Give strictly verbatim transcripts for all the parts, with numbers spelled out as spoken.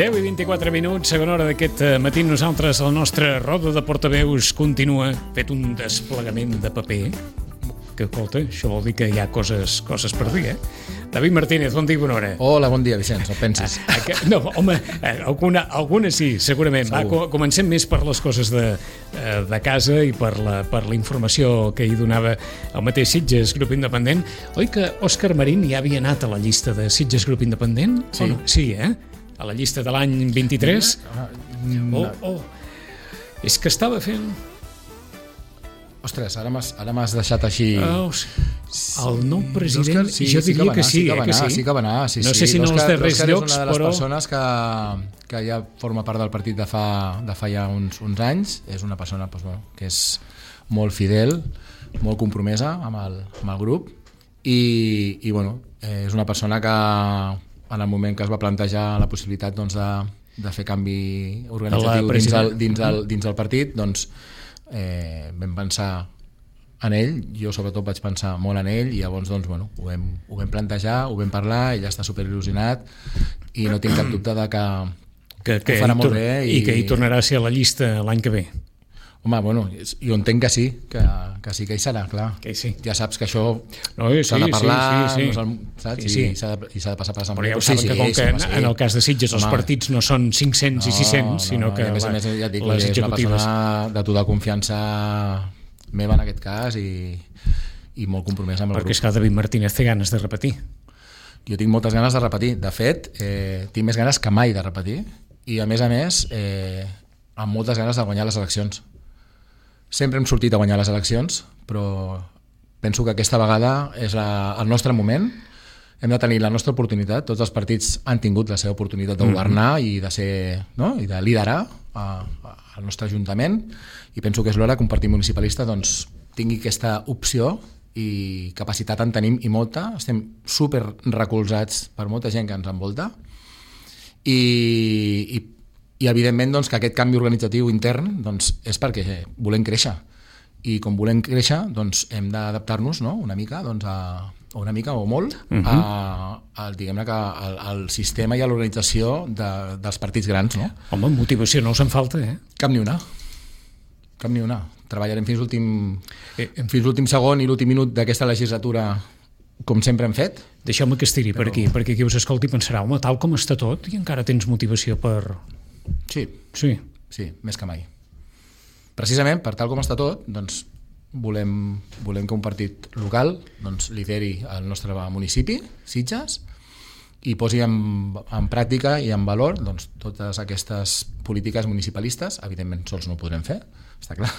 deu i vint-i-quatre minuts, segona hora d'aquest matí. Nosaltres, la nostra roda de portaveus continua fet un desplegament de paper. Que, escolta, això vol dir que hi ha coses, coses per dir, eh? David Martínez, bon dia i bona hora. Hola, bon dia, Vicenç, no pensis. Ah, que, no, home, alguna, alguna sí, segurament. Va, comencem més per les coses de, de casa i per la, per la informació que hi donava el mateix Sitges Grup Independent. Oi que Òscar Marín ja havia anat a la llista de Sitges Grup Independent? Sí. No? Sí, eh? A la llista de l'any vint-i-tres. No. Oh, oh. És que estava fent... Ostres, ara m'has, ara m'has deixat així... Oh, el nou president, sí, jo diria que sí, sí, que va eh, que anar, sí. sí que va anar, sí, no sé sí. si en els darrers L'Òscar llocs, és una de les però... persones que, que ja forma part del partit de fa, de fa ja uns, uns anys. És una persona doncs, bueno, que és molt fidel, molt compromesa amb el, amb el grup i, i bueno, és una persona que en el moment que es va plantejar la possibilitat doncs, de, de fer canvi organitzatiu dins el, dins, el, dins el partit, doncs eh, vam pensar en ell, jo sobretot vaig pensar molt en ell i llavors doncs, bueno, ho, vam, ho vam plantejar, ho vam parlar, ell està superil·lusionat i no tinc cap dubte de que, que, que ho farà molt bé. I... i que hi tornarà a ser a la llista l'any que ve. Home, bueno, jo entenc que sí, que, que sí que hi serà, clar. Que sí. Ja saps que això no, sí, s'ha de parlar, sí, sí, sí. No saps? Sí, sí. I s'ha de, de passar per l'assemblea. Però ja ho saben sí, que com sí, que sí, en, en el cas de Sitges els home, partits no són cinc-cents no, i sis-cents, no, sinó que a més a més, ja et dic, les és executives... una persona de tota confiança meva en aquest cas i, i molt compromesa amb el perquè grup. és que David Martínez té ganes de repetir. Jo tinc moltes ganes de repetir. De fet, eh, tinc més ganes que mai de repetir i a més a més eh, amb moltes ganes de guanyar les eleccions. Sempre hem sortit a guanyar les eleccions, però penso que aquesta vegada és la, el nostre moment. Hem de tenir la nostra oportunitat. Tots els partits han tingut la seva oportunitat de governar mm-hmm. i de ser, no? I de liderar a, a, al nostre ajuntament i penso que és l'hora que un partit municipalista doncs, tingui aquesta opció i capacitat en tenim i molta. Estem super recolzats per molta gent que ens envolta i, i, i evidentment doncs, que aquest canvi organitzatiu intern doncs, és perquè volem créixer i com volem créixer doncs, hem d'adaptar-nos no? una mica doncs, a, una mica o molt uh-huh. a, a, diguem-ne que al, al sistema i a l'organització de, dels partits grans. No? Home, motivació no us en falta, eh? Cap ni una. Cap ni una. Treballarem fins l'últim eh, fins l'últim segon i l'últim minut d'aquesta legislatura com sempre hem fet. Deixeu-me que estiri però... per aquí, perquè qui us escolti pensarà, home, tal com està tot i encara tens motivació per... Sí, sí, sí, més que mai. Precisament per tal com està tot, doncs volem, volem que un partit local doncs, lideri el nostre municipi, Sitges, i posi en, en pràctica i en valor doncs, totes aquestes polítiques municipalistes. Evidentment sols no ho podrem fer, està clar,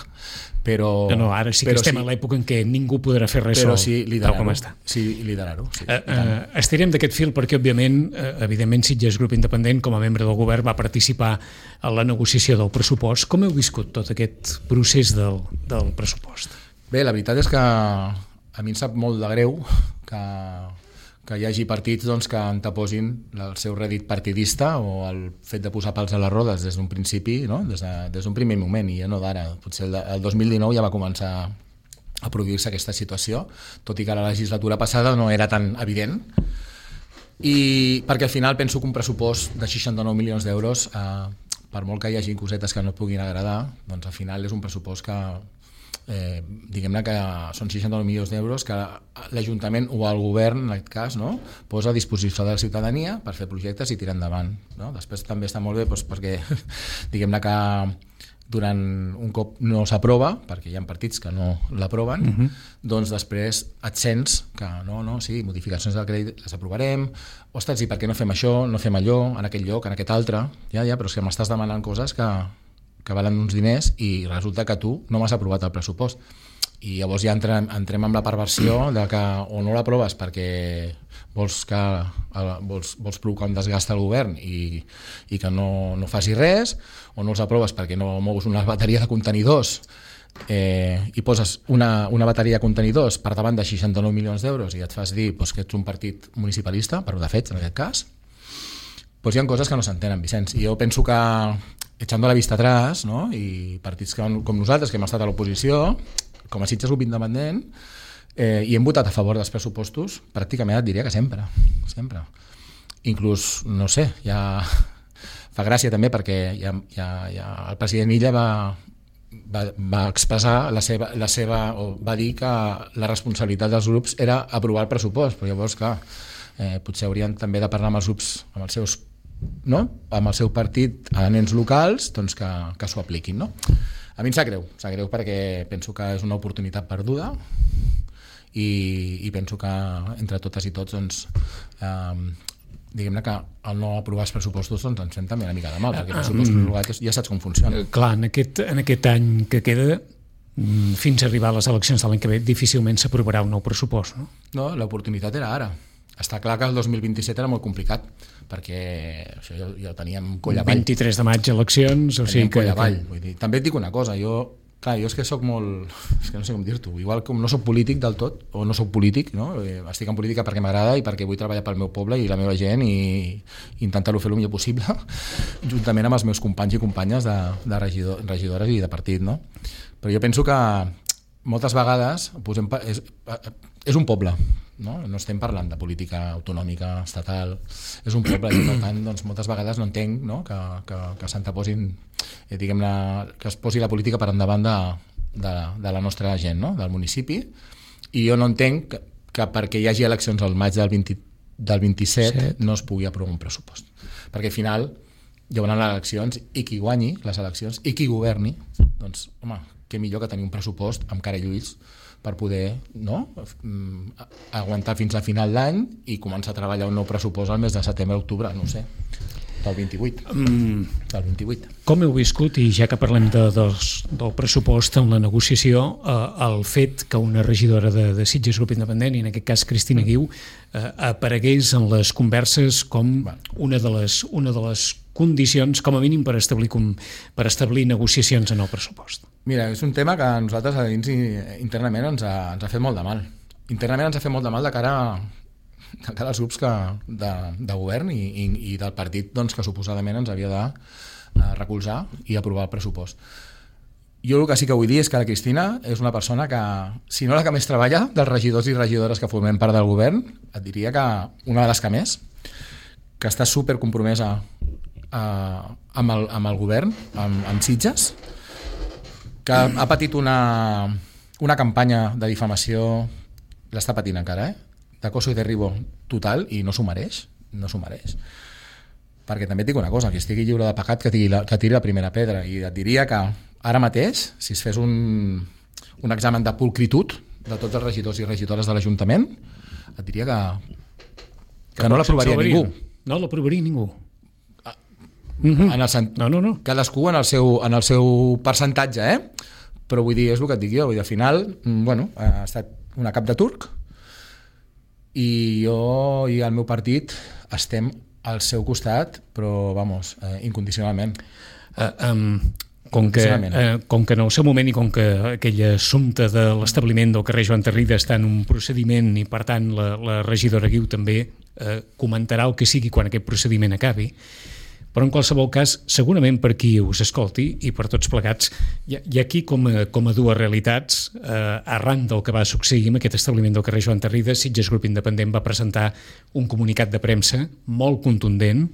però... No, no, ara sí que estem sí, a l'època en què ningú podrà fer res però sol, sí, tal com està. Sí, liderar-ho. Sí, uh, uh, estirem d'aquest fil perquè, òbviament, uh, evidentment Sitges Grup Independent, com a membre del govern, va participar en la negociació del pressupost. Com heu viscut tot aquest procés del, del pressupost? Bé, la veritat és que a mi em sap molt de greu que... que hi hagi partits doncs, que anteposin el seu rèdit partidista o el fet de posar pals a les rodes des d'un principi, no? des, de, des d'un primer moment, i ja no d'ara. Potser el, el dos mil dinou ja va començar a produir-se aquesta situació, tot i que la legislatura passada no era tan evident. I perquè al final penso que un pressupost de seixanta-nou milions d'euros, eh, per molt que hi hagi cosetes que no et puguin agradar, doncs al final és un pressupost que Eh, diguem-ne que són seixanta-nou milions d'euros que l'Ajuntament o el govern en aquest cas no, posa a disposició de la ciutadania per fer projectes i tirar endavant, no? Després també està molt bé doncs, perquè diguem-ne que durant un cop no s'aprova, perquè hi ha partits que no l'aproven, uh-huh. doncs després et sents que no, no, sí, modificacions del crèdit les aprovarem, ostres, i per què no fem això, no fem allò, en aquest lloc, en aquest altre, ja, ja, però és que m'estàs demanant coses que que valen uns diners i resulta que tu no m'has aprovat el pressupost. I llavors ja entrem, entrem amb la perversió de que o no l'aproves perquè vols, que, vols, vols provocar un desgast al govern i, i que no, no faci res, o no els aproves perquè no mous una bateria de contenidors eh, i poses una, una bateria de contenidors per davant de seixanta-nou milions d'euros i et fas dir doncs, que ets un partit municipalista, per de fets en aquest cas, doncs hi ha coses que no s'entenen, Vicenç. I jo penso que echando la vista atrás, no? I partits que, com nosaltres, que hem estat a l'oposició, com a Sitges Grup Independent, eh, i hem votat a favor dels pressupostos, pràcticament et diria que sempre, sempre. Inclús, no sé, ja fa gràcia també perquè ja, ja, ja el president Illa va, va, va expressar la seva, la seva, o va dir que la responsabilitat dels grups era aprovar el pressupost, però llavors, clar, eh, potser haurien també de parlar amb els grups, amb els seus, no? Amb el seu partit en ens locals, doncs que, que s'ho apliquin, no? A mi em sap greu, em sap greu perquè penso que és una oportunitat perduda i, i penso que entre totes i tots doncs, eh, diguem-ne que al no aprovar els pressupostos doncs ens fem també una mica de mal, perquè el pressupost prorrogat ja saps com funciona. Clar, en aquest, en aquest any que queda, fins a arribar a les eleccions de l'any que ve, difícilment s'aprovarà un nou pressupost, no? No, l'oportunitat era ara. Està clar que el dos mil vint-i-set era molt complicat, perquè això ja, ja ho teníem coll avall. vint-i-tres de maig, eleccions, o sigui que... coll avall. Vull dir, també et dic una cosa, jo, clar, jo és que soc molt... És que no sé com dir-t'ho. Igual com no soc polític del tot, o no soc polític, no? Estic en política perquè m'agrada i perquè vull treballar pel meu poble i la meva gent i, i intentar-ho fer el millor possible, juntament amb els meus companys i companyes de, de regidor, regidores i de partit, no? Però jo penso que moltes vegades posem, és, és un poble, no? No estem parlant de política autonòmica, estatal, és un poble i per tant doncs, moltes vegades no entenc, no? que, que, que s'anteposin, eh, diguem-ne, que es posi la política per endavant de, de, de la nostra gent, no? Del municipi, i jo no entenc que, que perquè hi hagi eleccions al maig del, vint, del vint-i-set Set. No es pugui aprovar un pressupost, perquè al final hi haurà les eleccions i qui guanyi les eleccions i qui governi, doncs home, què millor que tenir un pressupost amb cara i ulls per poder, no? Aguantar fins a final d'any i començar a treballar un nou pressupost al mes de setembre-octubre, no ho sé, del vint-i-vuit. Mm. Del vint-i-vuit. Com heu viscut, i ja que parlem de, dels, del pressupost en la negociació, eh, el fet que una regidora de, de Sitges Grup Independent, i en aquest cas Cristina Guiu, eh, aparegués en les converses com una de les, una de les condicions, com a mínim, per establir, com, per establir negociacions en el pressupost? Mira, és un tema que a nosaltres a dins internament ens ha, ens ha fet molt de mal. Internament ens ha fet molt de mal de cara, de cara als grups que, de, de govern i, i, i del partit doncs, que suposadament ens havia de uh, recolzar i aprovar el pressupost. Jo el que sí que vull dir és que la Cristina és una persona que, si no la que més treballa, dels regidors i regidores que formem part del govern, et diria que una de les que més, que està super compromesa uh, amb, el, amb el govern, amb, amb Sitges, que ha patit una, una campanya de difamació, l'està patint encara, eh? D'acoso i derribo total, i no s'ho mereix, no s'ho mereix. Perquè també et dic una cosa, que estigui lliure de pecat, que tiri la, que tiri la primera pedra, i et diria que ara mateix, si es fes un, un examen de pulcritud de tots els regidors i regidores de l'Ajuntament, et diria que, que, que no l'aprovaria ningú. No l'aprovaria ningú. Mm-hmm. En el sent... no, no, no. Cadascú en el seu, en el seu percentatge, eh? Però vull dir, és el que et dic jo, vull dir, al final, bueno, ha estat una cap de turc i jo i el meu partit estem al seu costat, però, vamos, eh, incondicionalment. Uh, um, com, que, uh, com que en el seu moment i com que aquell assumpte de l'establiment del carrer Joan Tarrida està en un procediment i, per tant, la, la regidora Guiu també uh, comentarà el que sigui quan aquest procediment acabi, però en qualsevol cas, segurament per qui us escolti i per tots plegats, hi ha, hi ha aquí com a, com a dues realitats. Eh, arran del que va succeir amb aquest establiment del carrer Joan Tarrida, Sitges Grup Independent va presentar un comunicat de premsa molt contundent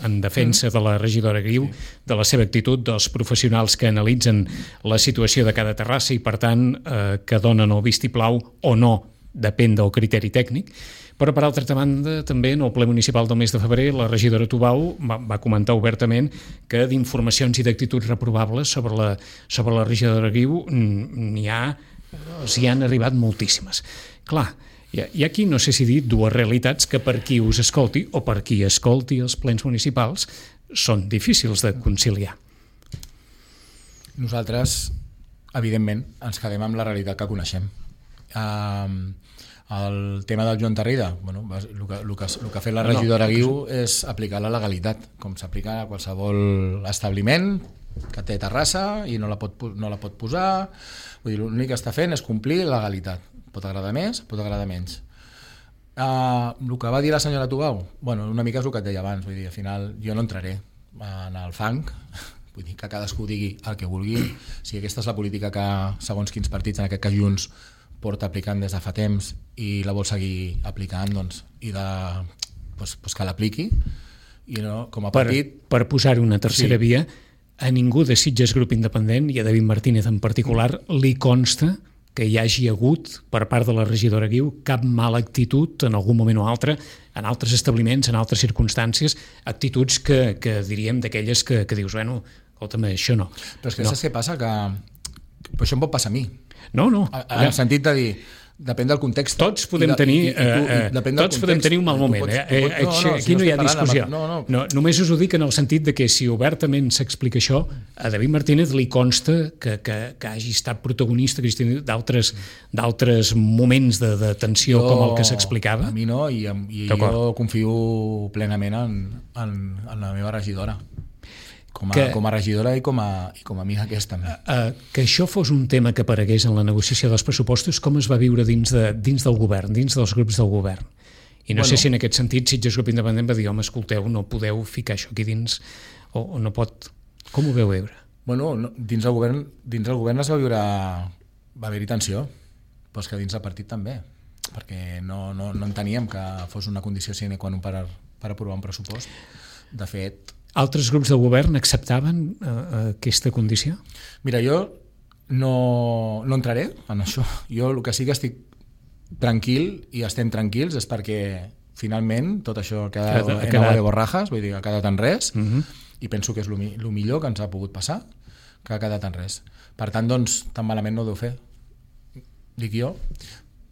en defensa de la regidora Guiu, de la seva actitud, dels professionals que analitzen la situació de cada terrassa i, per tant, eh, que donen el vistiplau o no, depèn del criteri tècnic. Però, per altra banda, també en el ple municipal del mes de febrer, la regidora Tubau va, va comentar obertament que d'informacions i d'actituds reprovables sobre la, sobre la regidora Guiu n'hi ha, s'hi han arribat moltíssimes. Clar, hi ha, hi ha aquí, no sé si dir, dues realitats que per qui us escolti o per qui escolti els plens municipals són difícils de conciliar. Nosaltres, evidentment, ens quedem amb la realitat que coneixem. Uh, el tema del Joan Tarrida, bueno, el, que, el, que, el que ha fet la regidora Guiu és aplicar la legalitat, com s'aplica a qualsevol establiment que té terrassa i no la pot, no la pot posar. Vull dir, l'únic que està fent és complir la legalitat. Pot agradar més, pot agradar menys. Uh, el que va dir la senyora Tubau, bueno, una mica és el que et deia abans, vull dir, al final jo no entraré en el fang, vull dir que cadascú digui el que vulgui. Si aquesta és la política que segons quins partits, en aquest cas Junts, porta aplicant des de fa temps i la vol seguir aplicant, doncs, i de, doncs, doncs que l'apliqui. i no, com a per, partit... per posar una tercera Sí. via, a ningú de Sitges Grup Independent, i a David Martínez en particular, li consta que hi hagi hagut, per part de la regidora Guiu, cap mala actitud en algun moment o altre, en altres establiments, en altres circumstàncies, actituds que, que diríem d'aquelles que, que dius, bueno, escolta'm, això no. Però és que no. saps què passa? Que, que això em pot passar a mi. No, no. A, en el sentit de dir, depèn del context. Tots podem de, tenir, i, i, i tu, eh, i depèn del tots podem context, tenir un mal tu moment. pots- Eh? tu pots- Eh, no, no, aquí si no, no hi ha estic parlant discussió. de- no, no. No, només us ho dic en el sentit de que si obertament s'explica això, a David Martínez li consta que, que, que hagi estat protagonista, Cristina, d'altres d'altres moments de, de tensió Jo- com el que s'explicava. A mi no, i, em- i D'acord. jo confio plenament en, en, en la meva regidora. Com a, Que- com a regidora i com a, i com a amiga aquesta també. Uh, que això fos un tema que aparegués en la negociació dels pressupostos, com es va viure dins, de, dins del govern, dins dels grups del govern? I no Bueno. sé si en aquest sentit Sitges Grup Independent va dir, home, escolteu, no podeu ficar això aquí dins, o, o no pot... Com ho veu veure? Bueno, no, dins del govern, dins del govern es va viure... Va haver-hi tensió, però és que dins del partit també, perquè no, no, no enteníem que fos una condició sine qua non per, per aprovar un pressupost. De fet, Altres grups del govern acceptaven uh, aquesta condició? mira, jo no, no entraré en això. Jo el que sí que estic tranquil i estem tranquils és perquè finalment tot això ha quedat Ha en quedat- agua de borrajas, vull dir, ha quedat en res, Uh -huh. i penso que és el mi- lo millor que ens ha pogut passar, que ha quedat en res. Per tant, doncs, tan malament no ho deu fer, dic jo,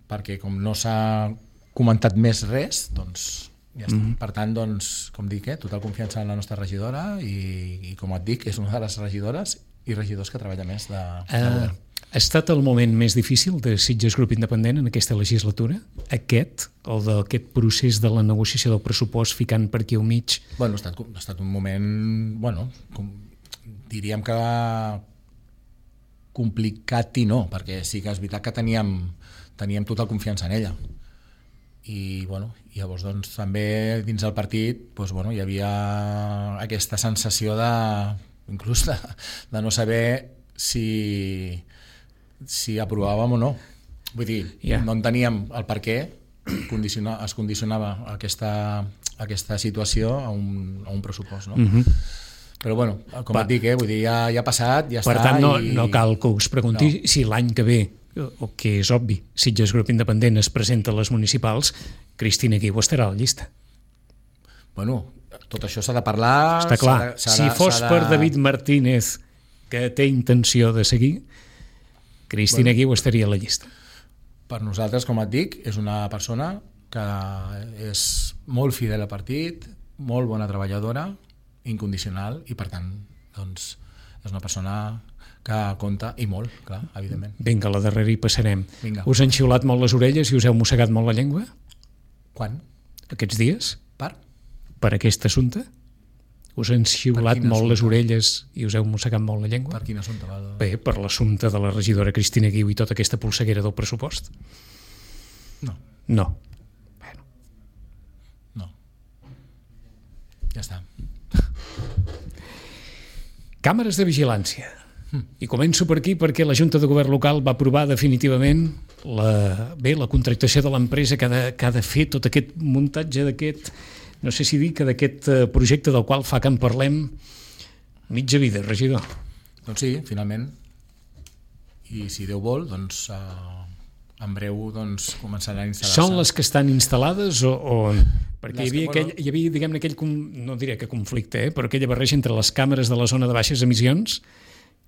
perquè com no s'ha comentat més res, doncs ja està. Mhm. Per tant, doncs, com dic, eh, total confiança en la nostra regidora i, i com et dic, és una de les regidores i regidors que treballa més de, de Uh, govern. ha estat el moment més difícil de Sitges Grup Independent en aquesta legislatura? Aquest, el d'aquest procés de la negociació del pressupost ficant per aquí al mig? Bueno, ha estat, ha estat un moment, bueno, com, diríem que complicat i no, perquè sí que és veritat que teníem, teníem total confiança en ella. I, bueno, llavors doncs, també dins del partit doncs, bueno, hi havia aquesta sensació de, inclús de, de no saber si, si aprovàvem o no. Vull dir, Ja. no enteníem el per què condiciona, es condicionava aquesta, aquesta situació a un, a un pressupost. No? Uh -huh. Però bueno, com Va. et dic, eh, vull dir, ja, ja ha passat, ja Per està. tant, no, i... no cal que us pregunti No. si l'any que ve, o que és obvi, Sitges Grup Independent es presenta a les municipals, Cristina Guiu estarà a la llista. Bueno, tot això s'ha de parlar... Està clar, s'ha de- s'ha si de- fos s'ha de- per David Martínez, que té intenció de seguir, Cristina Bueno. Guiu estaria a la llista. Per nosaltres, com et dic, és una persona que és molt fidel al partit, molt bona treballadora, incondicional, i per tant, doncs, és una persona que compta, i molt, clar, evidentment. Vinga, a la darrera hi passarem. Vinga. Us han xiulat molt les orelles i us heu mossegat molt la llengua Quan? aquests dies Per? per aquest assumpte? Us han xiulat quin molt les assumpte? orelles i us heu mossegat molt la llengua? Per quin assumpte va? Bé, per l'assumpte de la regidora Cristina Guiu i tota aquesta polseguera del pressupost? No, No. Bueno, no. Ja està. càmeres de vigilància. I començo per aquí perquè la Junta de Govern Local va aprovar definitivament la, bé, la contractació de l'empresa que, ha de, que ha de fer tot aquest muntatge d'aquest, no sé si dir que d'aquest eh, projecte del qual fa que en parlem mitja vida, regidor. Doncs sí, finalment. I si Déu vol, doncs eh, en breu doncs, començaran a instal·lar-se. Són les que estan instal·lades o... o... Perquè hi Les que, havia, aquell, bueno- hi havia diguem-ne, aquell, com- no diré que conflicte, eh, però aquella barreja entre les càmeres de la zona de baixes emissions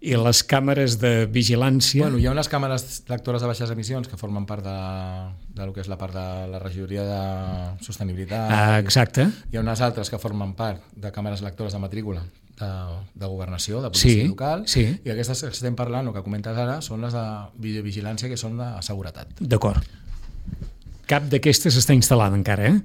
i les càmeres de vigilància. Bueno, hi ha unes càmeres lectores de baixes emissions que formen part de, de lo que és la part de la regidoria de sostenibilitat. Ah, exacte. Hi ha unes altres que formen part de càmeres lectores de matrícula de, de governació, de policia Sí, local, sí. i aquestes que estem parlant o que comentes ara són les de videovigilància, que són de seguretat. D'acord. Cap d'aquestes està instal·lada encara, eh?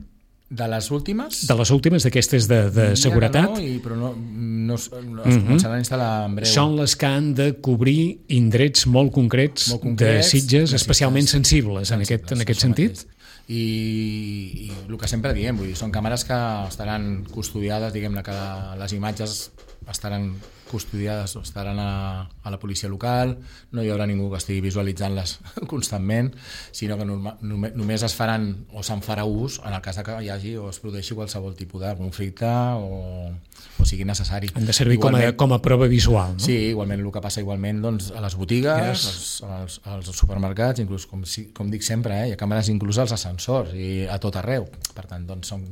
De les últimes... De les últimes, d'aquestes de, de diria que seguretat, no, i, però no, no, es, no es Mhm. començaran a instal·lar en breu. són les que han de cobrir indrets molt concrets, Molt concrets, de Sitges, necessitats. especialment sensibles, en aquest, en aquest això sentit. mateix. I, i el que sempre diem, vull dir, són càmeres que estaran custodiades, diguem-ne, que les imatges estaran custodiades o estaran a, a la policia local, no hi haurà ningú que estigui visualitzant-les constantment, sinó que norma, només, només es faran o se'n farà ús en el cas que hi hagi o es produeixi qualsevol tipus de conflicte o, o sigui necessari. Han de servir com a, com a prova visual, no? Sí, igualment el que passa igualment doncs, a les botigues, yes. als, als, als supermercats, inclús com, com dic sempre, eh, hi ha càmeres inclús als ascensors i a tot arreu. Per tant, doncs són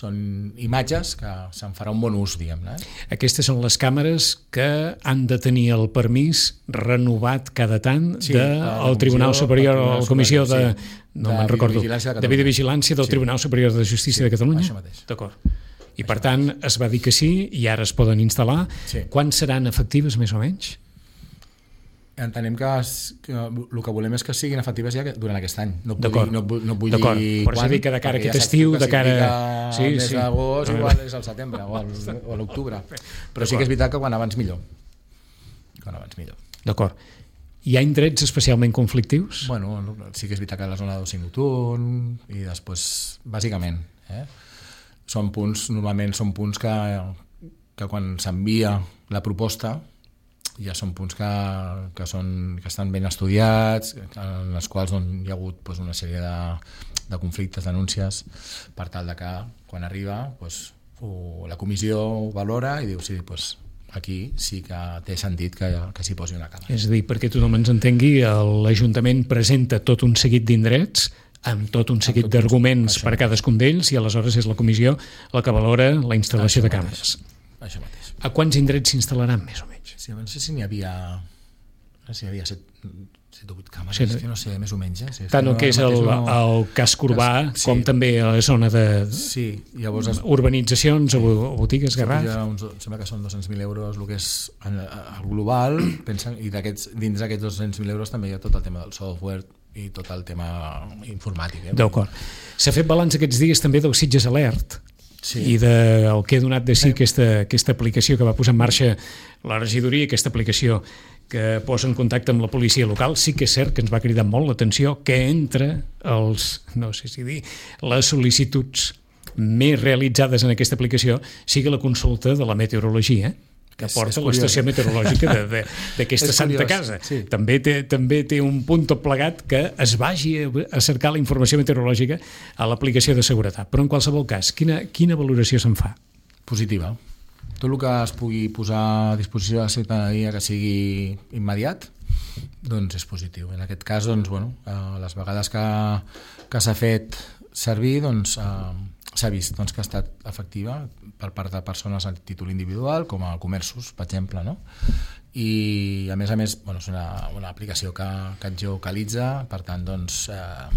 són imatges que se'n farà un bon ús, diguem-ne. Aquestes són les càmeres que han de tenir el permís renovat cada tant sí, del Tribunal Superior o la Comissió de, sí, no me'n recordo, de Videovigilància del sí. Tribunal Superior de Justícia sí, de Catalunya. Això mateix. D'acord. I per tant es va dir que sí i ara es poden instal·lar. Sí. Quan seran efectives més o menys? Entenem que, es, que el que volem és que siguin efectives ja durant aquest any. No vull dir, no, no vull dir quan, per això dic que de cara a aquest ja estiu, de cara sí, al mes sí. d'agost, igual és al setembre o, al, o a l'octubre. Però sí que és veritat que quan abans millor. Quan abans millor. D'acord. Hi ha indrets especialment conflictius? Bueno, sí que és veritat que la zona d'oci nocturn i després, bàsicament, eh? són punts, normalment són punts que, que quan s'envia la proposta ja són punts que, que, són, que estan ben estudiats, en els quals doncs, hi ha hagut doncs, una sèrie de, de conflictes, denúncies, per tal de que quan arriba doncs, o la comissió ho valora i diu sí, doncs, aquí sí que té sentit que, que s'hi posi una càmera. És a dir, perquè tothom ens entengui, l'Ajuntament presenta tot un seguit d'indrets amb tot un seguit d'arguments per cadascun d'ells i aleshores és la comissió la que valora la instal·lació això de càmeres. Mateix. Això mateix. A quants indrets s'instal·laran més o menys? Sí, no sé si n'hi havia no sé si hi havia set, set o vuit càmeres, sí, no sé, més o menys. Eh? Sí, tant el que és el, no... el casc urbà sí. com també a la zona de sí, llavors es... urbanitzacions o botigues, garraf. Uns, sembla que són dos-cents mil euros el que és el global, pensen, i dins d'aquests dos-cents mil euros també hi ha tot el tema del software i tot el tema informàtic. Eh? D'acord. S'ha fet balanç aquests dies també del Sitges Alert, sí. i del de, que ha donat de si sí, aquesta, aquesta aplicació que va posar en marxa la regidoria, aquesta aplicació que posa en contacte amb la policia local. Sí que és cert que ens va cridar molt l'atenció que entre els, no sé si dir, les sol·licituds més realitzades en aquesta aplicació sigui la consulta de la meteorologia, que porta l'estació meteorològica d'aquesta Santa Casa. Sí. També, té, també té un punt tot plegat que es vagi a cercar la informació meteorològica a l'aplicació de seguretat. Però en qualsevol cas, quina, quina valoració se'n fa? Positiva. Tot el que es pugui posar a disposició de la ciutadania que sigui immediat, doncs és positiu. En aquest cas, doncs, bueno, les vegades que, que s'ha fet servir, doncs, s'ha vist doncs, que ha estat efectiva per part de persones a títol individual, com a comerços, per exemple, no? I a més a més, bueno, és una, una aplicació que, que et geocalitza, per tant, doncs, eh,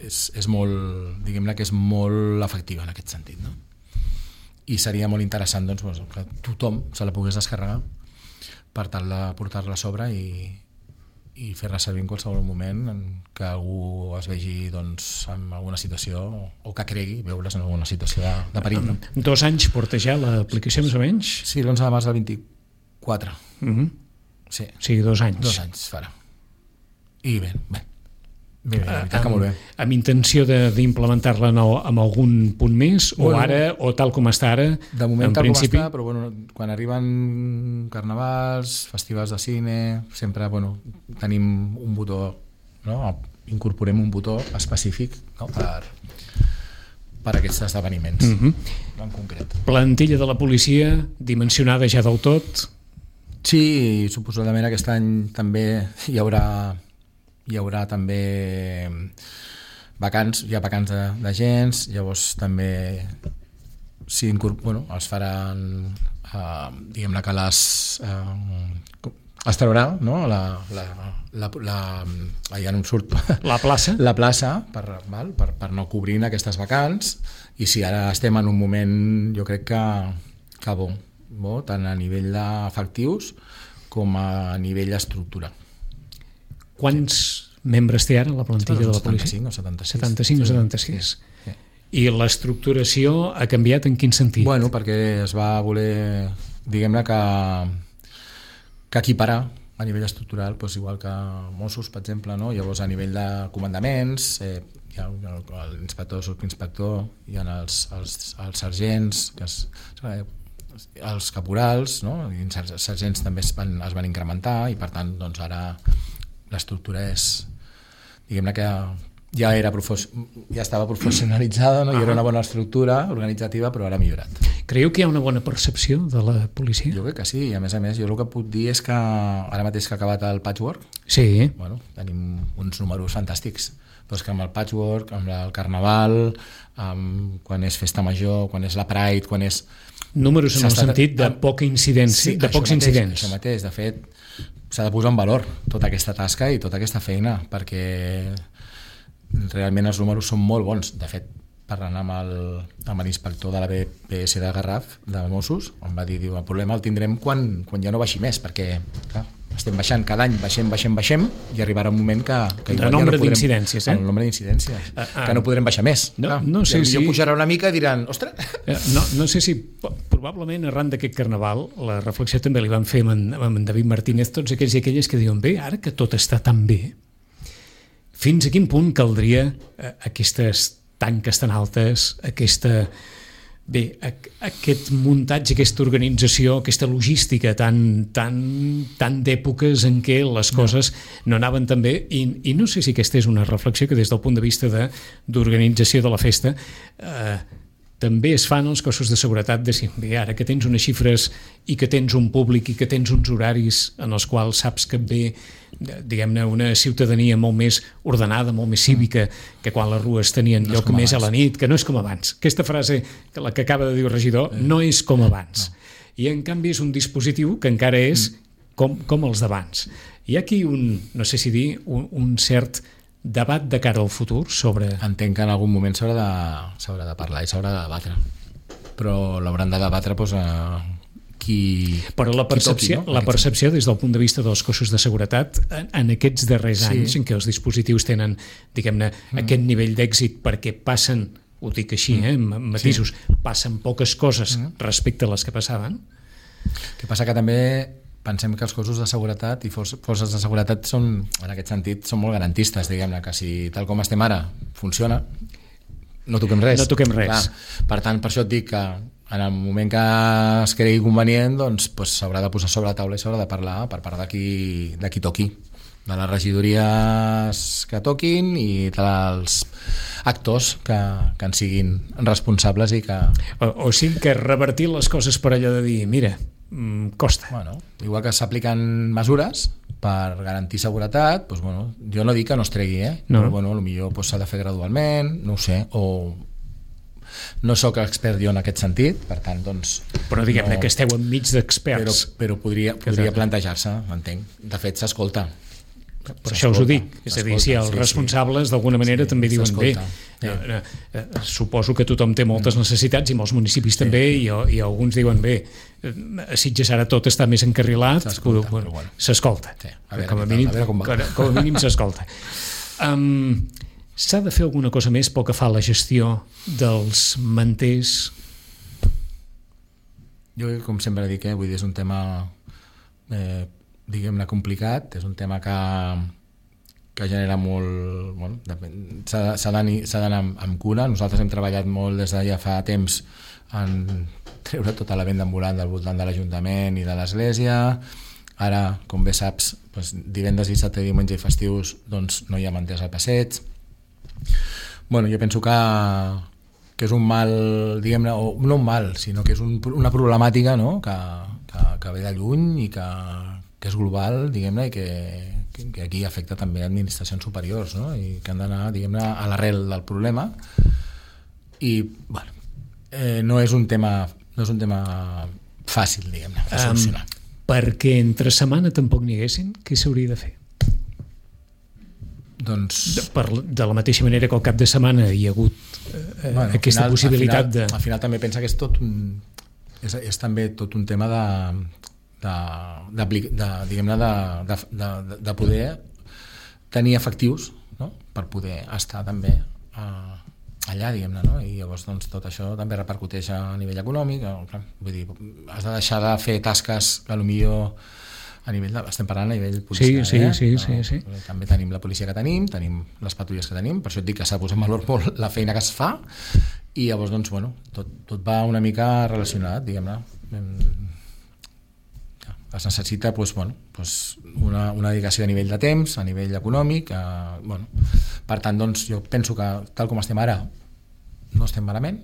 és, és molt, diguem-ne que és molt efectiva en aquest sentit, no? I seria molt interessant doncs, que tothom se la pogués descarregar per tal de portar-la a sobre i, i fer-la servir en qualsevol moment en que algú es vegi doncs, en alguna situació o que cregui veure's en alguna situació de, de perill. No? Dos anys porta ja l'aplicació més o menys? Sí, l'onze de març del vint-i-quatre. Uh-huh. Sí. Sí, dos anys. Dos anys farà. I bé, bé. Bé, bé, la veritat que molt bé. Amb, amb intenció d'implementar-la amb algun punt més o bueno, ara, o tal com està ara? De moment en tal principi... com està, però bueno, quan arriben carnavals, festivals de cine, sempre bueno, tenim un botó, no? Incorporem un botó específic, no? per, per aquests esdeveniments, uh-huh. en concret. Plantilla de la policia dimensionada ja del tot? Sí, suposadament aquest any també hi haurà hi haurà també vacants, hi ha vacants d'agents, llavors també si bueno, es faran eh, diguem-ne que les eh, es traurà no? la, la, la, la, ja no em surt la plaça, la plaça per, val? Per, per no cobrir aquestes vacants i si ara estem en un moment jo crec que, que bo, bo tant a nivell d'efectius com a nivell d'estructura. Quants membres té ara la plantilla de la policia? setanta-cinc o setanta-sis. setanta-cinc o setanta-sis. Sí. I l'estructuració ha canviat en quin sentit? Bueno, perquè es va voler, diguem-ne que, que equiparar a nivell estructural, doncs igual que Mossos, per exemple, no? Llavors a nivell de comandaments, eh, hi ha l'inspector, subinspector, hi ha els, els, els sergents, que es, els caporals, no? I els sergents també es van, es van incrementar i per tant doncs ara l'estructura és, diguem-ne que ja era ja estava professionalitzada, no? I era una bona estructura organitzativa, però ara ha millorat. Creieu que hi ha una bona percepció de la policia? Jo crec que sí, i a més a més jo el que puc dir és que ara mateix que ha acabat el patchwork, sí. Bueno, tenim uns números fantàstics, però és que amb el patchwork, amb el carnaval, amb quan és festa major, quan és la Pride, quan és... Números en el sentit de poca incidència, sí, de pocs mateix, incidents. Això mateix, de fet, s'ha de posar en valor tota aquesta tasca i tota aquesta feina, perquè realment els números són molt bons. De fet, parlant amb el, amb l'inspector de la B P S de Garraf, de Mossos, em va dir, diu, el problema el tindrem quan, quan ja no baixi més, perquè clar, estem baixant cada any, baixem, baixem, baixem, i arribarà un moment que, que el nombre ja no d'incidències, eh? El nombre d'incidències, uh, uh, que no podrem baixar més. No, clar, no sé si... si... pujarà una mica i diran, ostres... No, no sé si, probablement arran d'aquest carnaval, la reflexió també li van fer amb en, amb en David Martínez, tots aquells i aquelles que diuen, bé, ara que tot està tan bé, fins a quin punt caldria eh, aquestes tanques tan altes, aquesta, bé, aquest muntatge, aquesta organització, aquesta logística tan, tan, tan d'èpoques en què les coses no, no anaven tan bé, i, i no sé si aquesta és una reflexió que des del punt de vista de, d'organització de la festa eh, també es fan els cossos de seguretat de si, bé, ara que tens unes xifres i que tens un públic i que tens uns horaris en els quals saps que et ve, diguem-ne, una ciutadania molt més ordenada, molt més cívica, que quan les rues tenien no lloc més abans. A la nit, que no és com abans. Aquesta frase, que la que acaba de dir el regidor, eh. no és com abans. No. I en canvi és un dispositiu que encara és com, com els d'abans. Hi ha aquí un, no sé si dir, un, un cert debat de cara al futur sobre... Entenc que en algun moment s'haurà de, s'haurà de parlar i s'haurà de debatre, però l'hauran de debatre doncs, a qui... Però la percepció, toqui, no? la percepció des del punt de vista dels cossos de seguretat en, en aquests darrers sí. anys en què els dispositius tenen, diguem-ne, mm. aquest nivell d'èxit perquè passen, ho dic així, mm. eh, amb matisos, sí. passen poques coses mm. respecte a les que passaven. El que passa que també pensem que els cossos de seguretat i forces de seguretat són, en aquest sentit, són molt garantistes, diguem-ne, que si tal com estem ara funciona, no toquem res. No toquem res. Clar, per tant, per això et dic que en el moment que es cregui convenient, doncs, doncs s'haurà de posar sobre la taula i s'haurà de parlar per part de qui, de qui toqui, de les regidories que toquin i dels actors que, que en siguin responsables i que... O, o sigui que revertir les coses per allò de dir, mira, costa. Bueno, igual que s'apliquen mesures per garantir seguretat, doncs, bueno, jo no dic que no es tregui, eh? No. Però bueno, potser doncs, s'ha de fer gradualment, no ho sé, o no sóc expert jo en aquest sentit, per tant, doncs... Però diguem-ne no, que esteu enmig d'experts. Però, però podria, podria plantejar-se, entenc. De fet, s'escolta. Per això us ho dic, és a dir, si els responsables sí, d'alguna manera sí, també diuen bé, sí. eh, eh, suposo que tothom té moltes necessitats i molts municipis sí. també i, i alguns diuen bé, a Sitges ara tot està més encarrilat, s'escolta, bueno, bueno. s'escolta sí. com, a mínim, com, com a mínim s'escolta. um, s'ha de fer alguna cosa més pel que fa a la gestió dels manters? Jo com sempre dic, eh, vull dir, és un tema eh, diguem-ne complicat, és un tema que, que genera molt... Bueno, s'ha d'anar amb, amb cura. Nosaltres hem treballat molt des de ja fa temps en treure tota la venda ambulant del voltant de l'Ajuntament i de l'Església. Ara, com bé saps, doncs, divendres, dissabte, diumenge i festius doncs, no hi ha manters al passeig. Bueno, jo penso que, que és un mal, diguem-ne, o no un mal, sinó que és un, una problemàtica, no? que, que, que ve de lluny i que que és global, diguem-ne, i que, que aquí afecta també administracions superiors, no? I que han d'anar, diguem-ne, a l'arrel del problema. I, bueno, eh, no és un tema no és un tema fàcil, diguem-ne, de solucionar. Um, perquè entre setmana tampoc n'hi haguessin, què s'hauria de fer? Doncs... De, per, de la mateixa manera que al cap de setmana hi ha hagut eh, bueno, aquesta final, possibilitat al final, de... Al final també pensa que és tot un... És, és també tot un tema de... de, de, de, diguem-ne de, de, de, de poder tenir efectius, no? Per poder estar també eh, allà, diguem-ne, no? I llavors doncs, tot això també repercuteix a nivell econòmic, eh, vull dir, has de deixar de fer tasques que potser a nivell de, estem parlant a nivell policial, sí, sí, eh? sí, sí, sí. També tenim la policia que tenim, tenim les patrulles que tenim, per això et dic que s'ha posat en valor molt la feina que es fa, i llavors doncs, bueno, tot, tot va una mica relacionat, diguem-ne. es necessita doncs, bueno, doncs una, una dedicació a nivell de temps, a nivell econòmic, a, bueno, per tant doncs, jo penso que tal com estem ara no estem malament,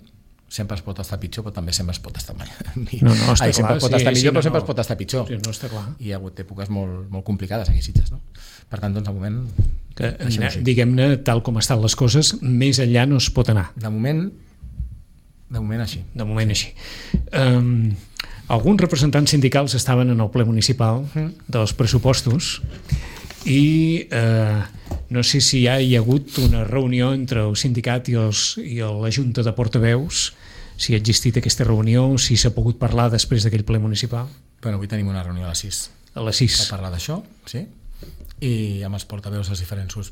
sempre es pot estar pitjor, però també sempre es pot estar malament. No, no, està Ai, sempre clar, es pot sí, estar millor, sí, però no, sempre no. es pot estar pitjor. Sí, no està clar. I hi ha hagut èpoques molt, molt complicades aquí a Sitges, no? Per tant, doncs, de moment... Que, diguem-ne, tal com estan les coses, més enllà no es pot anar. De moment, de moment així. De moment així. Um, alguns representants sindicals estaven en el ple municipal mm. dels pressupostos i eh, no sé si ja hi ha hagut una reunió entre el sindicat i, els, i la Junta de Portaveus, si ha existit aquesta reunió, si s'ha pogut parlar després d'aquell ple municipal. Bueno, avui tenim una reunió a les sis. A les sis. Per parlar d'això, sí. I amb els portaveus dels diferents grups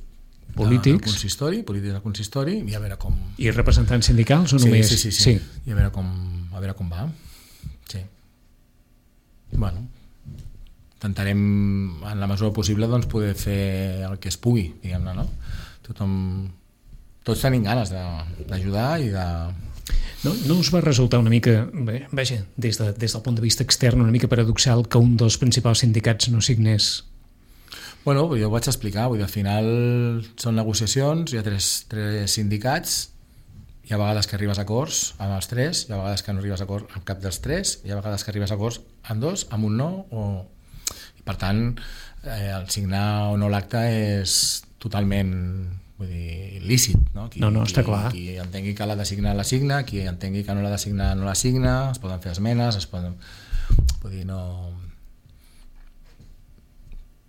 polítics. Del consistori, polítics del consistori, i a veure com... I representants sindicals o només? Sí, sí, sí, sí. sí. I a veure com, a veure com va. Sí. Bueno, intentarem en la mesura possible doncs, poder fer el que es pugui, diguem-ne, no? Tothom, tots tenim ganes d'ajudar i de... No, no us va resultar una mica, bé, vaja, des, de, des del punt de vista extern, una mica paradoxal que un dels principals sindicats no signés? Bueno, jo ho vaig explicar, vull dir, al final són negociacions, hi ha tres, tres sindicats, hi ha vegades que arribes a acords amb els tres, hi ha vegades que no arribes a acords amb cap dels tres, hi ha vegades que arribes a acords amb dos, amb un no, o... I per tant, eh, el signar o no l'acte és totalment, vull dir, lícit, no? Qui, no, no, està qui, clar. Qui entengui que l'ha de signar, la signa, qui entengui que no l'ha de signar, no la signa, es poden fer esmenes, es poden... Vull dir, no...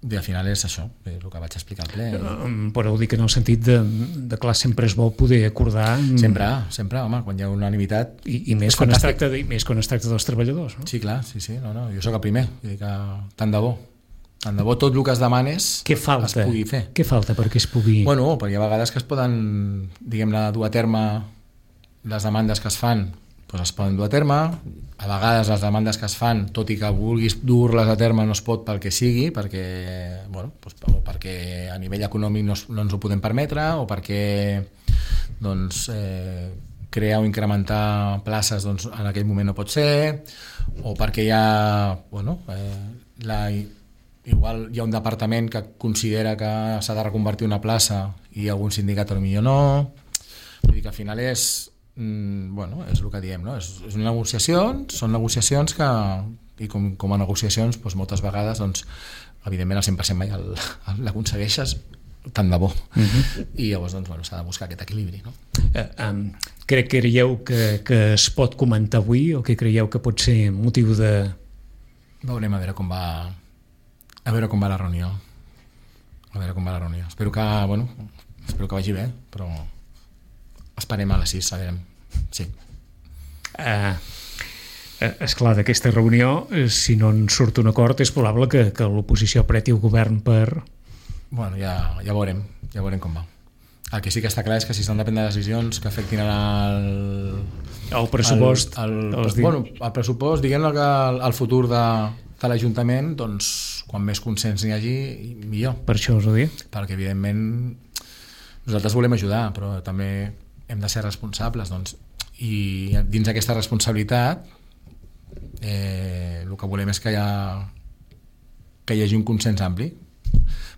I al final és això, el que vaig explicar al ple. Però ho dic en el sentit de, de clar, sempre es vol poder acordar... Sempre, sempre, home, quan hi ha unanimitat... I, i més, quan es tracta de, més quan es tracta dels treballadors, no? Sí, clar, sí, sí, no, no, jo sóc el primer, vull dir que tant de bo. Tant de bo tot el que es demanes Què falta? es pugui fer. Què falta perquè es pugui... Bueno, perquè hi ha vegades que es poden, diguem-ne, dur a terme les demandes que es fan, doncs es poden dur a terme. A vegades les demandes que es fan, tot i que vulguis dur-les a terme, no es pot pel que sigui, perquè, bueno, doncs, o perquè a nivell econòmic no, no ens ho podem permetre, o perquè doncs, eh, crear o incrementar places doncs, en aquell moment no pot ser, o perquè hi ha, bueno, eh, la, igual hi ha un departament que considera que s'ha de reconvertir una plaça i algun sindicat potser no. Vull dir que al final és Mm, bueno, és el que diem, no? És, és una negociació, són negociacions que, i com, com a negociacions doncs moltes vegades, doncs, evidentment el cent per cent mai l'aconsegueixes, tant de bo. Uh-huh. I llavors doncs, bueno, s'ha de buscar aquest equilibri, no? Uh, um, crec que creieu que, que es pot comentar avui o que creieu que pot ser motiu de... Veurem a veure com va a veure com va la reunió a veure com va la reunió espero que, bueno, espero que vagi bé, però esperem a les sis, sabrem. Sí. Uh, esclar, d'aquesta reunió, si no en surt un acord, és probable que, que l'oposició apreti el govern per... Bueno, ja, ja veurem, ja veurem com va. El que sí que està clar és que si s'han de prendre decisions que afectin el... El pressupost. El, el, el, bueno, el pressupost, diguem-ne que el, el futur de, de l'Ajuntament, doncs, quan més consens n'hi hagi, millor. Per això us ho dic. Perquè, evidentment, nosaltres volem ajudar, però també hem de ser responsables, doncs, i dins d'aquesta responsabilitat eh, el que volem és que hi, ha, que hi hagi un consens ampli,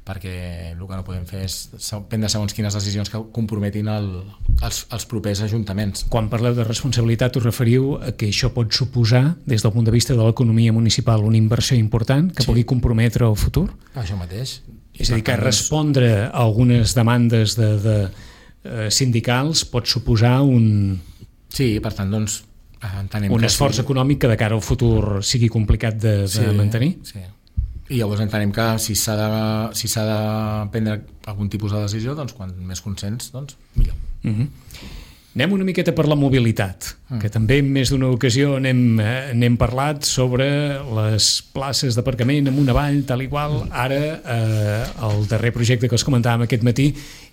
perquè el que no podem fer és prendre segons quines decisions que comprometin el, els, els propers ajuntaments. Quan parleu de responsabilitat us referiu a que això pot suposar, des del punt de vista de l'economia municipal, una inversió important que sí. pugui comprometre el futur? Això mateix. És a dir, que respondre a algunes demandes de, de sindicals pot suposar un... Sí, per tant, doncs... Entenem un esforç sí. econòmic que de cara al futur sigui complicat de, de sí, mantenir? Sí. I llavors entenem que si s'ha de, si s'ha de prendre algun tipus de decisió, doncs quan més consens, doncs millor. Uh-huh. Anem una miqueta per la mobilitat, mm. que també en més d'una ocasió n'hem, n'hem parlat sobre les places d'aparcament amunt avall, tal i qual. Ara, eh, el darrer projecte que us comentàvem aquest matí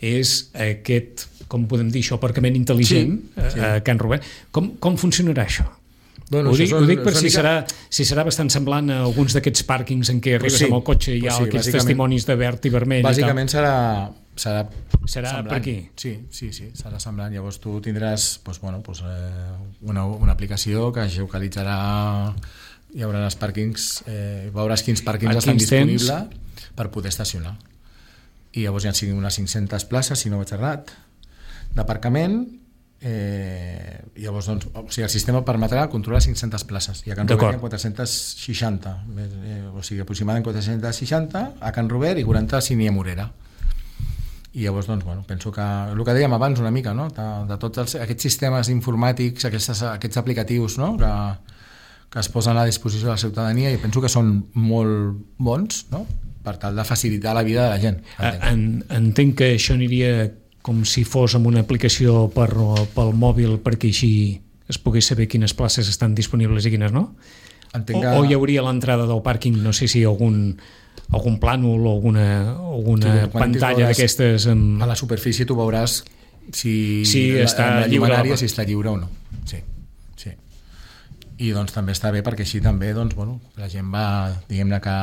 és aquest, com podem dir això, aparcament intel·ligent sí, sí. a Can Rubén. Com, com funcionarà això? Bueno, ho, dic, són, ho dic per si, mica... serà, si serà bastant semblant a alguns d'aquests pàrquings en què arribes sí, amb el cotxe i hi ha sí, aquests testimonis de verd i vermell. Bàsicament i serà... serà serà semblant. Per aquí? Sí, sí, sí, serà semblant. Llavors tu tindràs doncs, bueno, doncs, eh, una, una aplicació que geolocalitzarà hi haurà els pàrquings, eh, veuràs quins pàrquings A estan quins temps? disponibles per poder estacionar. I llavors hi ha siguin unes cinc-centes places, si no vaig errat, d'aparcament. Eh, llavors, doncs, o sigui, el sistema permetrà controlar cinc-centes places i a Can Robert hi ha quatre-cents seixanta, eh, o sigui, aproximadament quatre-cents seixanta a Can Robert i quaranta a Sínia Morera. I llavors, doncs, bueno, penso que el que dèiem abans una mica, no? de, de tots els, aquests sistemes informàtics, aquests, aquests aplicatius, no? que, que es posen a disposició de la ciutadania, i penso que són molt bons, no? per tal de facilitar la vida de la gent. En, entenc que això aniria com si fos amb una aplicació per, pel mòbil perquè així es pogués saber quines places estan disponibles i quines no? Que... O, o hi hauria l'entrada del pàrquing, no sé si algun, algun plànol o alguna, alguna sí, pantalla d'aquestes amb... A la superfície tu veuràs si, si està la, la lliure, si està lliure o no. Sí, sí. I doncs també està bé perquè així també doncs, bueno, la gent va, diguem-ne que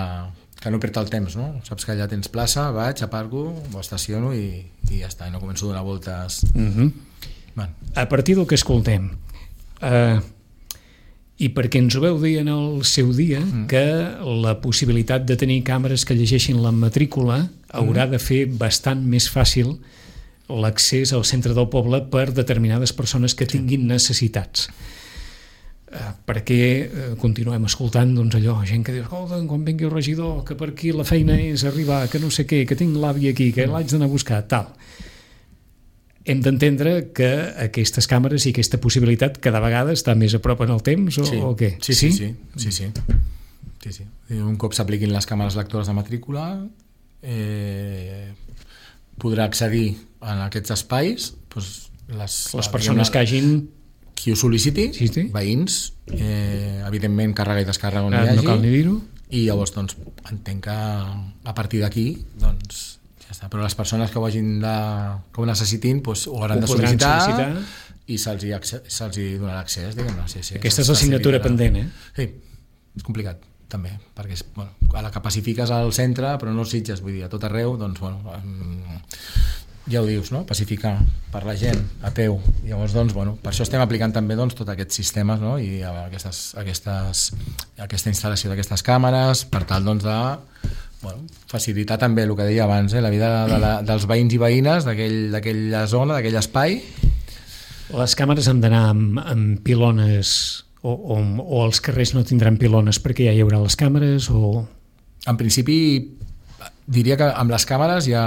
que no perd el temps, no? Saps que allà tens plaça, vaig, aparco, ho estaciono i, i ja està, i no començo a donar voltes. Uh-huh. bueno. A partir del que escoltem, uh, i perquè ens ho veu dir en el seu dia, uh-huh. que la possibilitat de tenir càmeres que llegeixin la matrícula haurà uh-huh. de fer bastant més fàcil l'accés al centre del poble per determinades persones que tinguin necessitats. Uh, perquè uh, continuem escoltant doncs allò, gent que diu, escolta, quan vingui el regidor, que per aquí la feina és arribar, que no sé què, que tinc l'avi aquí, que l'haig d'anar a buscar, tal. Hem d'entendre que aquestes càmeres i aquesta possibilitat cada vegada està més a prop en el temps o, sí. o què? Sí, sí, sí, sí, sí, sí, sí. Un cop s'apliquin les càmeres lectores de matrícula eh, podrà accedir en aquests espais doncs, les, les persones que hagin qui ho sol·liciti, sí, sí. veïns, eh, evidentment càrrega i descàrrega on ah, hi hagi, no cal ni dir-ho. I llavors doncs, entenc que a partir d'aquí doncs, ja està. Però les persones que ho hagin de, que ho necessitin doncs, ho hauran ho de sol·licitar, sol·licitar i se'ls hi, se'ls hi donarà accés, diguem-ne. Sí, sí, aquesta és l'assignatura pendent, eh? Sí, és complicat també, perquè és, bueno, a la que pacifiques al centre però no els Sitges, vull dir, a tot arreu doncs, bueno, ja ho dius, no? Pacificar per la gent a peu. Llavors, doncs, bueno, per això estem aplicant també doncs, tots aquests sistemes, no? I aquestes, aquestes, aquesta instal·lació d'aquestes càmeres per tal doncs, de bueno, facilitar també el que deia abans, eh? La vida de la, dels veïns i veïnes d'aquella aquell, zona, d'aquell espai. Les càmeres han d'anar amb, amb pilones o, o, o els carrers no tindran pilones perquè ja hi haurà les càmeres o... En principi diria que amb les càmeres ja...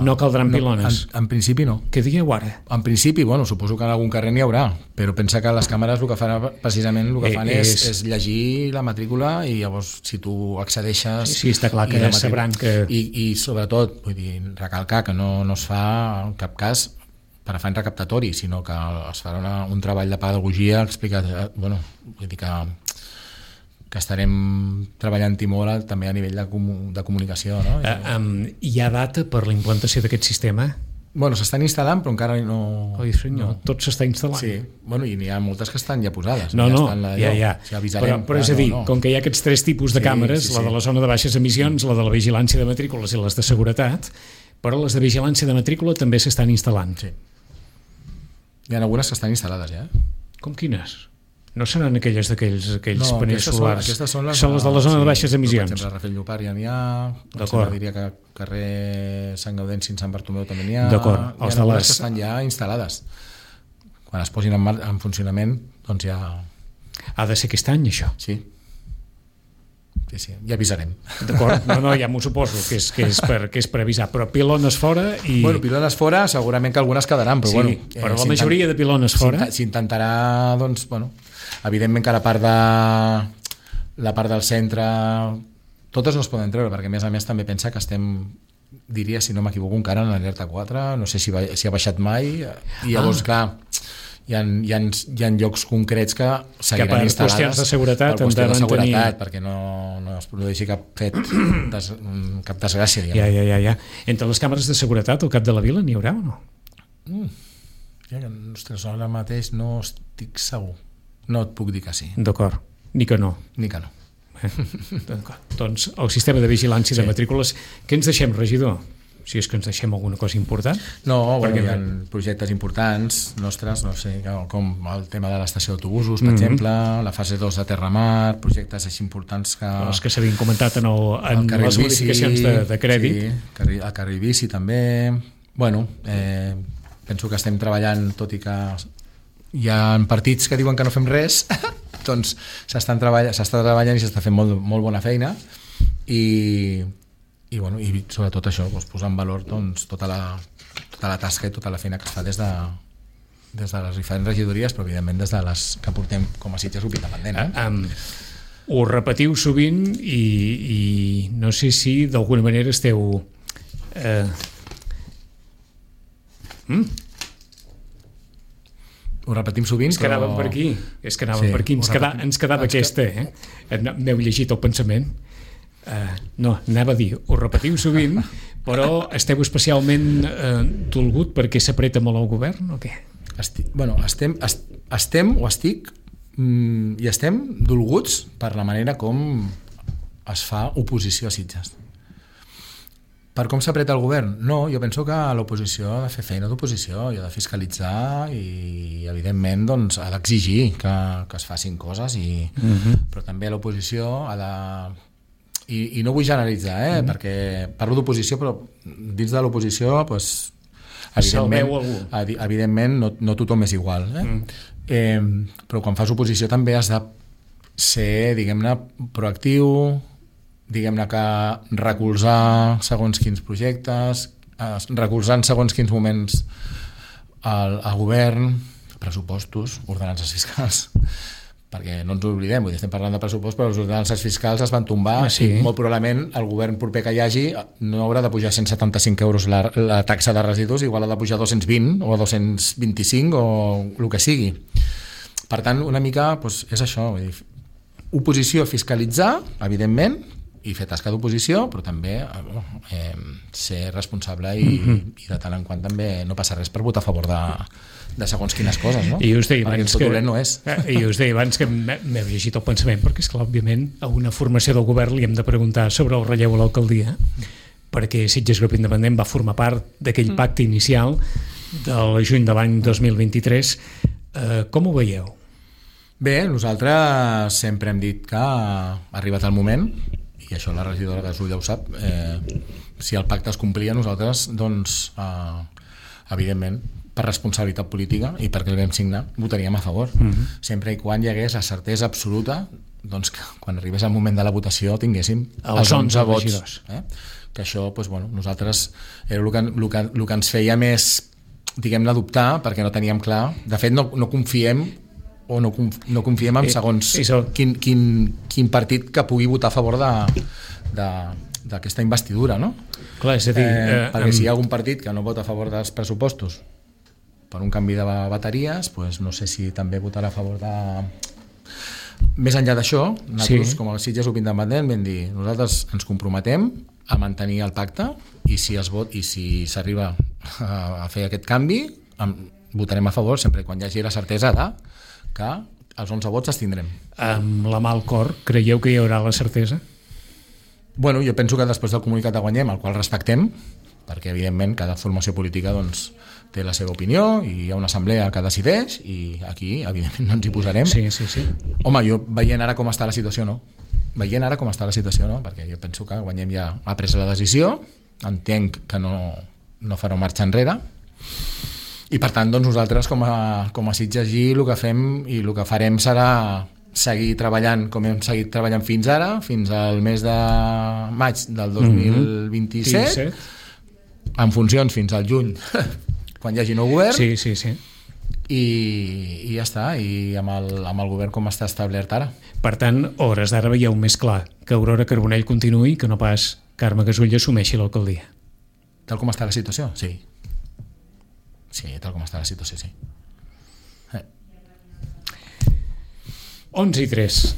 No caldran pilones? No, en, en principi no. Què dieu ara? En principi, bueno, suposo que en algun carrer n'hi haurà, però pensa que les càmeres el que fan precisament el que fan eh, és, és llegir la matrícula i llavors si tu accedeixes... Sí, sí està clar que matrícula, sabran que... I, i sobretot, vull dir, recalcar que no, no es fa en cap cas per afany recaptatori, sinó que es farà una, un treball de pedagogia explicat, bueno, vull dir que... que estarem treballant-hi molt també a nivell de, comu de comunicació. No? Uh, um, hi ha data per la implantació d'aquest sistema? Bueno, s'estan instal·lant, però encara no... Oi, senyor, no. Tot s'està instal·lant. Sí, bueno, i n'hi ha moltes que estan ja posades. No, no, ja, ja, ja. ja avisarem, però, però és a dir, no, no. com que hi ha aquests tres tipus de sí, càmeres, sí, sí. la de la zona de baixes emissions, la de la vigilància de matrícules i les de seguretat, però les de vigilància de matrícula també s'estan instal·lant. Sí. Hi ha algunes que estan instal·lades ja. Com quines? No seran aquelles d'aquells aquells no, panells solars? Aquestes són les, són les de la zona sí, de baixes emissions. Per exemple, a Rafel Llopart ja n'hi ha, d'acord. Diria que carrer Sant Gaudenci i Sant Bartomeu també n'hi ha. D'acord. Hi ha les... que estan ja instal·lades. Quan es posin en, mar... en funcionament, doncs ja... Ha de ser aquest any, això? Sí. Sí, sí, ja avisarem. D'acord, no, no, ja m'ho suposo que és, que, és per, que és per avisar, però pilones fora i... Bueno, pilones fora segurament que algunes quedaran, però sí, bueno... Eh, però la majoria de pilones fora... S'intentarà, doncs, bueno... Evidentment que la part de la part del centre totes no es poden treure, perquè a més a més també pensa que estem, diria, si no m'equivoco, encara en l'alerta quatre, no sé si, va, si ha baixat mai, i llavors, ah. clar, hi ha, hi, ha, hi ha llocs concrets que seguiran instal·lades per qüestions de seguretat, per qüestions de seguretat mantenir... perquè no, no es produeixi cap fet des, cap desgràcia, diguem. Ja, ja, ja, ja. Entre les càmeres de seguretat al cap de la vila n'hi haurà o no? Mm. Ja, ostres, ara mateix no estic segur. No et puc dir que sí. D'acord, ni que no. Ni que no. Eh? Doncs el sistema de vigilància sí. de matrícules, què ens deixem, regidor? si és que ens deixem alguna cosa important. No, bueno, perquè... hi ha projectes importants nostres, no sé, com el tema de l'estació d'autobusos, per mm-hmm. exemple, la fase dos de Terramar, projectes així importants que... Els que s'havien comentat en, el, en el les modificacions de, de crèdit. Sí, el carril bici també. Bueno, eh, penso que estem treballant, tot i que hi ha partits que diuen que no fem res, doncs s'està treballant, s'està treballant i s'està fent molt, molt bona feina i, i, bueno, i sobretot això, doncs, posar en valor doncs, tota, la, tota la tasca i tota la feina que es fa des de, des de les diferents regidories, però evidentment des de les que portem com a Sitges Grup Independent. Eh? Um, ho repetiu sovint i, i no sé si d'alguna manera esteu... Eh... Mm? Ho repetim sovint, ens quedàvem però... per aquí, és que anàvem sí, per aquí, ens, queda, ens quedava ens aquesta, eh? M'heu llegit el pensament. Uh, no, anava a dir, ho repetiu sovint, però esteu especialment uh, dolgut perquè s'apreta molt el govern o què? Esti, bueno, estem, est, estem o estic mm, i estem dolguts per la manera com es fa oposició a Sitges. Per com s'apreta el govern? No, jo penso que l'oposició ha de fer feina d'oposició i ha de fiscalitzar i, evidentment, doncs, ha d'exigir que, que es facin coses, i, uh-huh. però també l'oposició ha de... I, i no vull generalitzar, eh? uh-huh. perquè parlo d'oposició, però dins de l'oposició, doncs, evidentment, evidentment no, no tothom és igual. Eh? Uh-huh. Eh, però quan fas oposició també has de ser, diguem-ne, proactiu, diguem-ne que recolzar segons quins projectes, recolzar en segons quins moments el, el govern, pressupostos, ordenances fiscals, perquè no ens ho oblidem, vull dir, estem parlant de pressupost, però les ordenances fiscals es van tombar, ah, sí. i molt probablement el govern proper que hi hagi no haurà de pujar cent setanta-cinc euros la, la taxa de residus, igual ha de pujar dos-cents vint o dos-cents vint-i-cinc o el que sigui. Per tant, una mica doncs, és això, vull dir, oposició, fiscalitzar, evidentment, i fer tasca d'oposició, però també eh, ser responsable i, mm-hmm. i de tant en quant també no passa res per votar a favor de, de segons quines coses, no? I us deia abans que, no és. I us deia abans que m'heu llegit el pensament, perquè és clar, òbviament, a una formació del govern li hem de preguntar sobre el relleu a l'alcaldia, perquè Sitges Grup Independent va formar part d'aquell pacte inicial del juny de l'any dos mil vint-i-tres. Eh, com ho veieu? Bé, nosaltres sempre hem dit que ha arribat el moment, i això la regidora de Zulla ho sap, eh, si el pacte es complia, nosaltres, doncs, eh, evidentment, per responsabilitat política i perquè el vam signar, votaríem a favor. Uh-huh. Sempre i quan hi hagués la certesa absoluta doncs, que quan arribés el moment de la votació tinguéssim els, els onze vots. Eh? Que això, doncs, bueno, nosaltres era el que, el, que, el que ens feia més, diguem-ne, dubtar, perquè no teníem clar. De fet, no, no confiem o no, no confiem en segons quin, quin, quin partit que pugui votar a favor d'aquesta investidura, no? Clar, és a dir... Eh, eh, perquè amb... si hi ha algun partit que no vota a favor dels pressupostos per un canvi de bateries, pues no sé si també votarà a favor de... Més enllà d'això, nosaltres, sí. com a Sitges Grup Independent, vam dir, nosaltres ens comprometem a mantenir el pacte i si es vot i si s'arriba a fer aquest canvi, votarem a favor sempre quan hi hagi la certesa de que els onze vots els tindrem. Amb la mà al cor, creieu que hi haurà la certesa? Bueno, jo penso que després del comunicat de Guanyem, el qual respectem, perquè evidentment cada formació política doncs, té la seva opinió i hi ha una assemblea que decideix i aquí evidentment no ens hi posarem. Sí, sí, sí. Home, jo veient ara com està la situació, no. Veient ara com està la situació, no, perquè jo penso que Guanyem ja ha pres la decisió, entenc que no, no farà marxa enrere, i per tant doncs, nosaltres com a, com a Sitges G el que fem i el que farem serà seguir treballant com hem seguit treballant fins ara, fins al mes de maig del dos mil vint-i-set, mm-hmm. en funcions fins al juny quan hi hagi nou govern, sí, sí, sí. I, i ja està, i amb el, amb el govern com està establert ara. Per tant, hores d'ara veieu més clar que Aurora Carbonell continuï que no pas Carme Gasull assumeixi l'alcaldia. Tal com està la situació, sí. Sí, tal com està la situació, sí. Eh. onze i tres.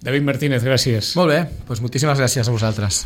David Martínez, gràcies. Molt bé, doncs moltíssimes gràcies a vosaltres.